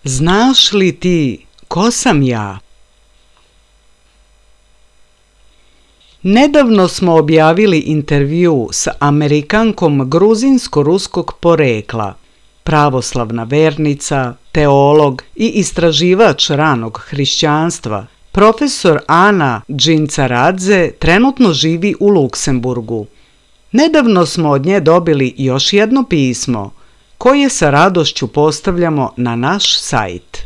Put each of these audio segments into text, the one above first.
Znaš li ti ko sam ja? Nedavno smo objavili intervju s Amerikankom gruzinsko-ruskog porekla, pravoslavna vernica, teolog i istraživač ranog hrišćanstva. Profesor Ana Džincaradze trenutno živi u Luksemburgu. Nedavno smo od nje dobili još jedno pismo, koje sa radošću postavljamo na naš sajt.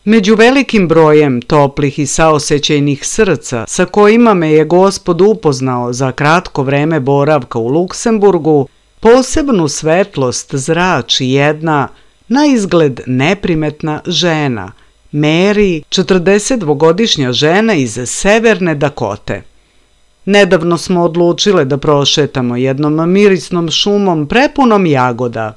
Među velikim brojem toplih i saosećajnih srca sa kojima me je Gospod upoznao za kratko vreme boravka u Luksemburgu, posebnu svetlost zrači jedna, na izgled neprimetna žena, Mary, 42-godišnja žena iz Severne Dakote. Nedavno smo odlučile da prošetamo jednom mirisnom šumom prepunom jagoda.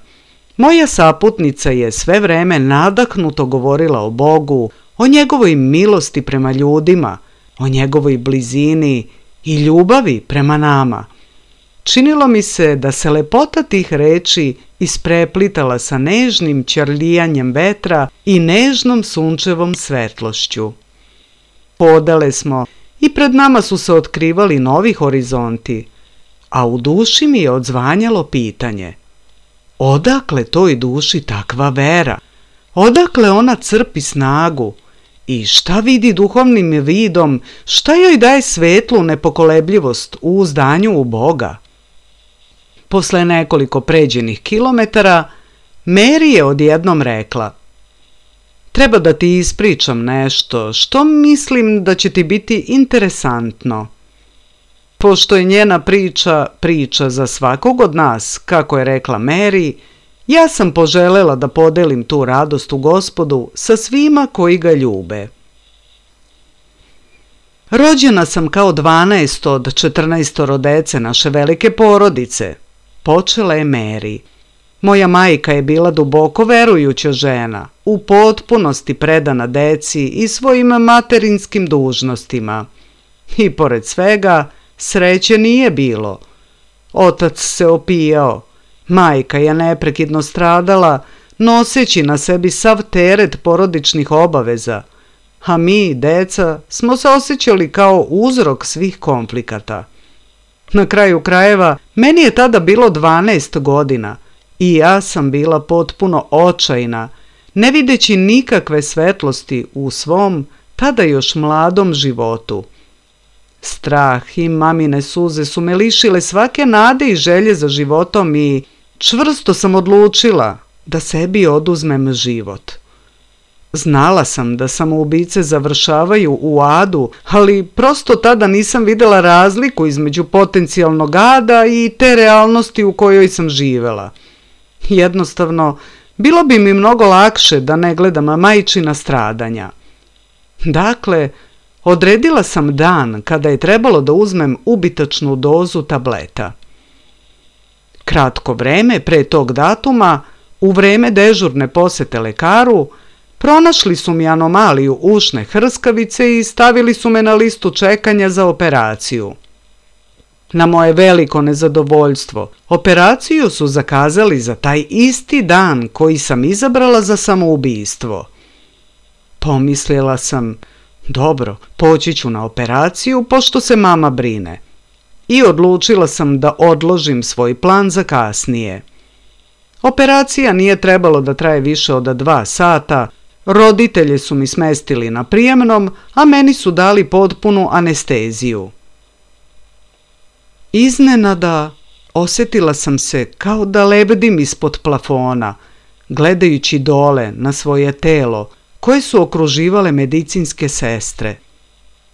Moja saputnica je sve vreme nadahnuto govorila o Bogu, o njegovoj milosti prema ljudima, o njegovoj blizini i ljubavi prema nama. Činilo mi se da se lepota tih reči ispreplitala sa nežnim ćarlijanjem vetra i nežnom sunčevom svetlošću. Hodale smo i pred nama su se otkrivali novi horizonti, a u duši mi je odzvanjalo pitanje: odakle toj duši takva vera? Odakle ona crpi snagu? I šta vidi duhovnim vidom? Šta joj daje svetlu nepokolebljivost u uzdanju u Boga? Posle nekoliko pređenih kilometara, Mary je odjednom rekla: treba da ti ispričam nešto što mislim da će ti biti interesantno. Pošto je njena priča za svakog od nas, kako je rekla Mary, ja sam poželela da podelim tu radost u Gospodu sa svima koji ga ljube. Rođena sam kao 12 od 14 dece naše velike porodice, počela je Mary. Moja majka je bila duboko verujuća žena, u potpunosti predana deci i svojim materinskim dužnostima. I pored svega, sreće nije bilo. Otac se opijao, majka je neprekidno stradala, noseći na sebi sav teret porodičnih obaveza, a mi, deca, smo se osjećali kao uzrok svih konflikata. Na kraju krajeva, meni je tada bilo 12 godina i ja sam bila potpuno očajna, ne videći nikakve svetlosti u svom, tada još mladom životu. Strah i mamine suze su me lišile svake nade i želje za životom i čvrsto sam odlučila da sebi oduzmem život. Znala sam da samoubice završavaju u adu, ali prosto tada nisam videla razliku između potencijalnog ada i te realnosti u kojoj sam živela. Jednostavno, bilo bi mi mnogo lakše da ne gledam majčina stradanja. Dakle, odredila sam dan kada je trebalo da uzmem ubitačnu dozu tableta. Kratko vreme pre tog datuma, u vreme dežurne posete lekaru, pronašli su mi anomaliju ušne hrskavice i stavili su me na listu čekanja za operaciju. Na moje veliko nezadovoljstvo, operaciju su zakazali za taj isti dan koji sam izabrala za samoubistvo. Pomislila sam, dobro, poći ću na operaciju pošto se mama brine. I odlučila sam da odložim svoj plan za kasnije. Operacija nije trebalo da traje više od 2 sata, roditelji su mi smestili na prijemnom, a meni su dali potpunu anesteziju. Iznenada osjetila sam se kao da lebdim ispod plafona, gledajući dole na svoje telo, koje su okruživale medicinske sestre.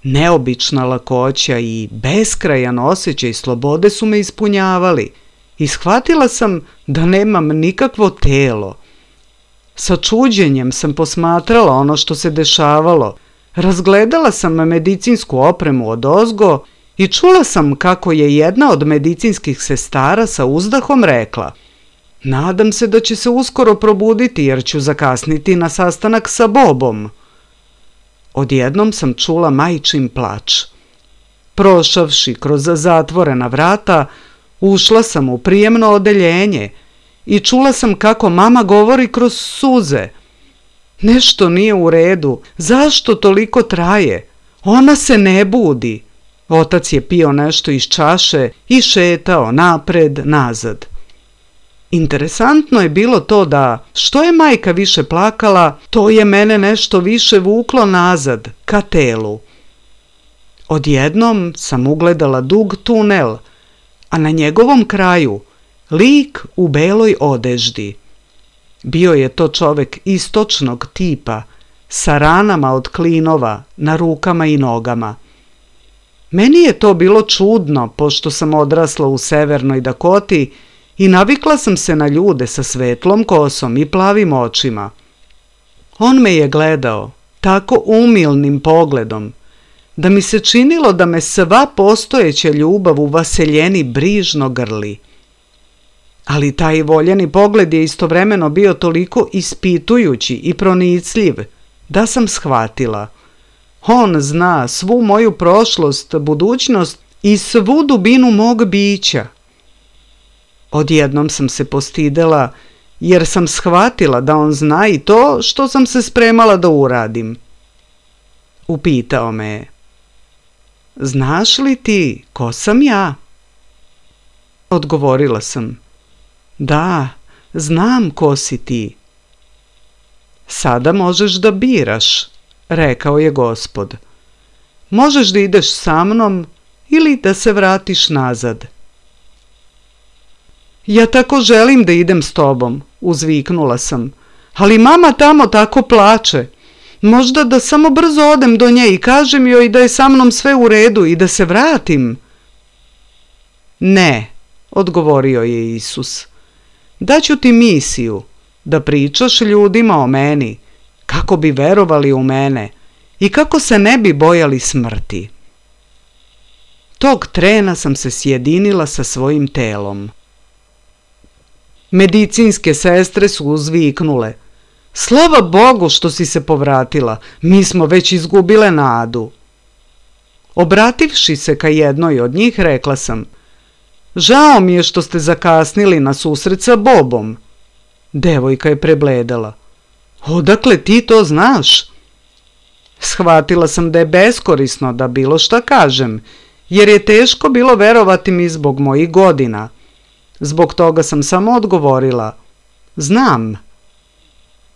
Neobična lakoća i beskrajan osjećaj slobode su me ispunjavali i shvatila sam da nemam nikakvo telo. Sa čuđenjem sam posmatrala ono što se dešavalo, razgledala sam medicinsku opremu odozgo i čula sam kako je jedna od medicinskih sestara sa uzdahom rekla: nadam se da će se uskoro probuditi jer ću zakasniti na sastanak sa Bobom. Odjednom sam čula majčin plač. Prošavši kroz zatvorena vrata, ušla sam u prijemno odeljenje i čula sam kako mama govori kroz suze. Nešto nije u redu, zašto toliko traje? Ona se ne budi. Otac je pio nešto iz čaše i šetao napred, nazad. Interesantno je bilo to da, što je majka više plakala, to je mene nešto više vuklo nazad, ka telu. Odjednom sam ugledala dug tunel, a na njegovom kraju lik u beloj odeždi. Bio je to čovek istočnog tipa, sa ranama od klinova na rukama i nogama. Meni je to bilo čudno, pošto sam odrasla u Severnoj Dakoti i navikla sam se na ljude sa svetlom kosom i plavim očima. On me je gledao tako umilnim pogledom, da mi se činilo da me sva postojeća ljubav u vaseljeni brižno grli. Ali taj voljeni pogled je istovremeno bio toliko ispitujući i pronicljiv, da sam shvatila. On zna svu moju prošlost, budućnost i svu dubinu mog bića. Odjednom sam se postidela, jer sam shvatila da on zna i to što sam se spremala da uradim. Upitao me je: znaš li ti ko sam ja? Odgovorila sam: da, znam ko si ti. Sada možeš da biraš, rekao je Gospod. Možeš da ideš sa mnom ili da se vratiš nazad. Ja tako želim da idem s tobom, uzviknula sam, ali mama tamo tako plače. Možda da samo brzo odem do nje i kažem joj da je sa mnom sve u redu i da se vratim. Ne, odgovorio je Isus. Daću ti misiju, da pričaš ljudima o meni, kako bi verovali u mene i kako se ne bi bojali smrti. Tog trena sam se sjedinila sa svojim telom. Medicinske sestre su uzviknule. Slava Bogu što si se povratila, mi smo već izgubile nadu. Obrativši se ka jednoj od njih, rekla sam, žao mi je što ste zakasnili na susret sa Bobom. Devojka je prebledala. Odakle ti to znaš? Shvatila sam da je beskorisno da bilo šta kažem, jer je teško bilo verovati mi zbog mojih godina. Zbog toga sam samo odgovorila, znam.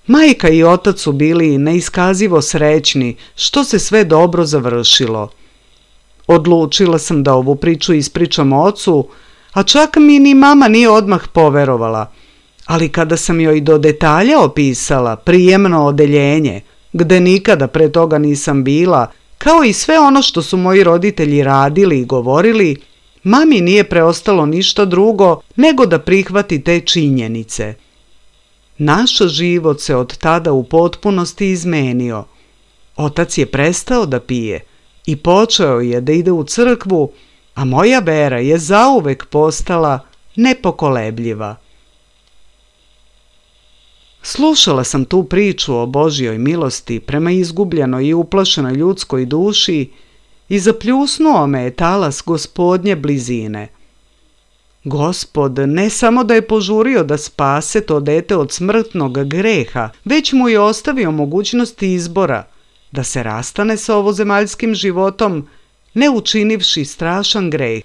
Majka i otac su bili neiskazivo srećni što se sve dobro završilo. Odlučila sam da ovu priču ispričam ocu, a čak mi ni mama nije odmah poverovala. Ali kada sam joj do detalja opisala prijemno odeljenje, gde nikada pre toga nisam bila, kao i sve ono što su moji roditelji radili i govorili, mami nije preostalo ništa drugo nego da prihvati te činjenice. Naš život se od tada u potpunosti izmenio. Otac je prestao da pije i počeo je da ide u crkvu, a moja vera je zauvek postala nepokolebljiva. Slušala sam tu priču o Božjoj milosti prema izgubljenoj i uplašenoj ljudskoj duši i zapljusnuo me je talas Gospodnje blizine. Gospod ne samo da je požurio da spase to dete od smrtnog greha, već mu je ostavio mogućnost izbora da se rastane sa ovozemaljskim životom, ne učinivši strašan greh.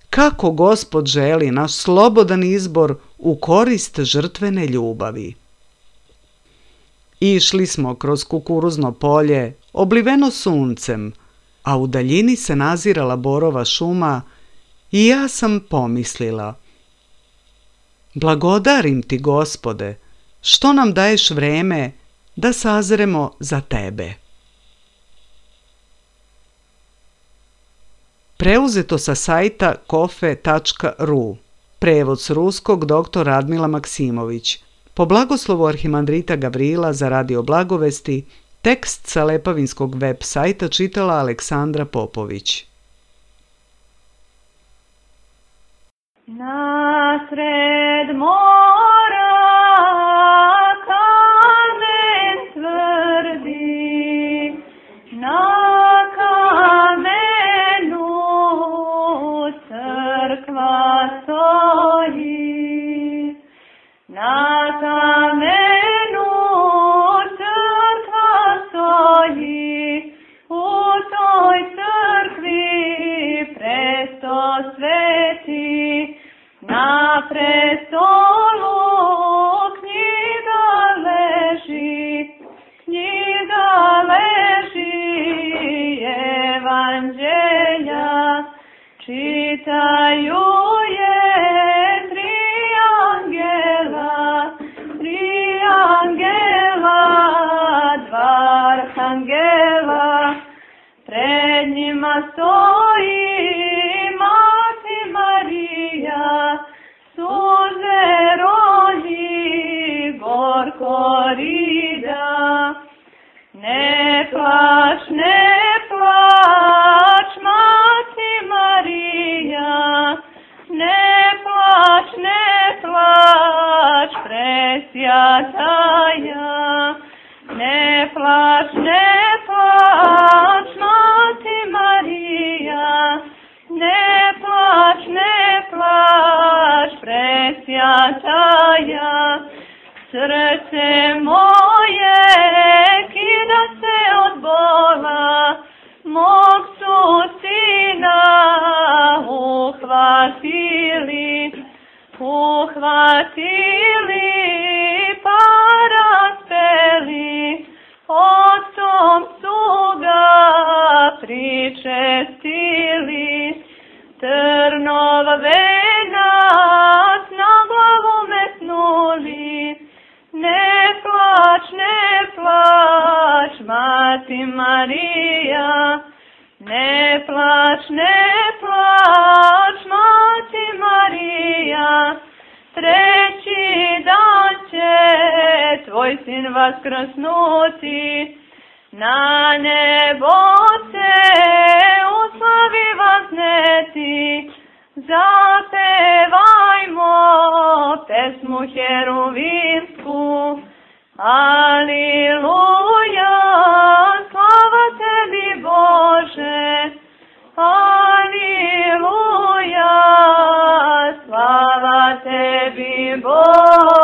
Kako Gospod želi naš slobodan izbor u korist žrtvene ljubavi. Išli smo kroz kukuruzno polje, obliveno suncem, a u daljini se nazirala borova šuma i ja sam pomislila. Blagodarim ti, Gospode, što nam daješ vreme da sazremo za tebe. Preuzeto sa sajta kofe.ru. Prevod s ruskog dr. Radmila Maksimović. Po blagoslovu arhimandrita Gavrila za Radio Blagovesti, tekst sa Lepavinskog web sajta čitala Aleksandra Popović. Nasred mora kamen tvrdi, na kamenu crkva stoji, na kamenu crkva stoji, u toj crkvi presto sveti, na prestolu knjiga leži evanđelja, čitaju je tri angela, dva arhangela, pred njima stoji Mati Marija, suze roni gorko rida. Ne plač, Mati Marija, ne plač, presjataja. Ne plač, Mati Marija, ne plač, presjataja. Srce moje kida se od bola, mog su sina uhvatili pa raspeli, otcom su ga pričestili. Trnov venac tvoj sin vaskrsnuti, na nebo se u slavi vazneti, zapevajmo pesmu heruvinsku. Aliluja, slava tebi Bože, aliluja, slava tebi Bože.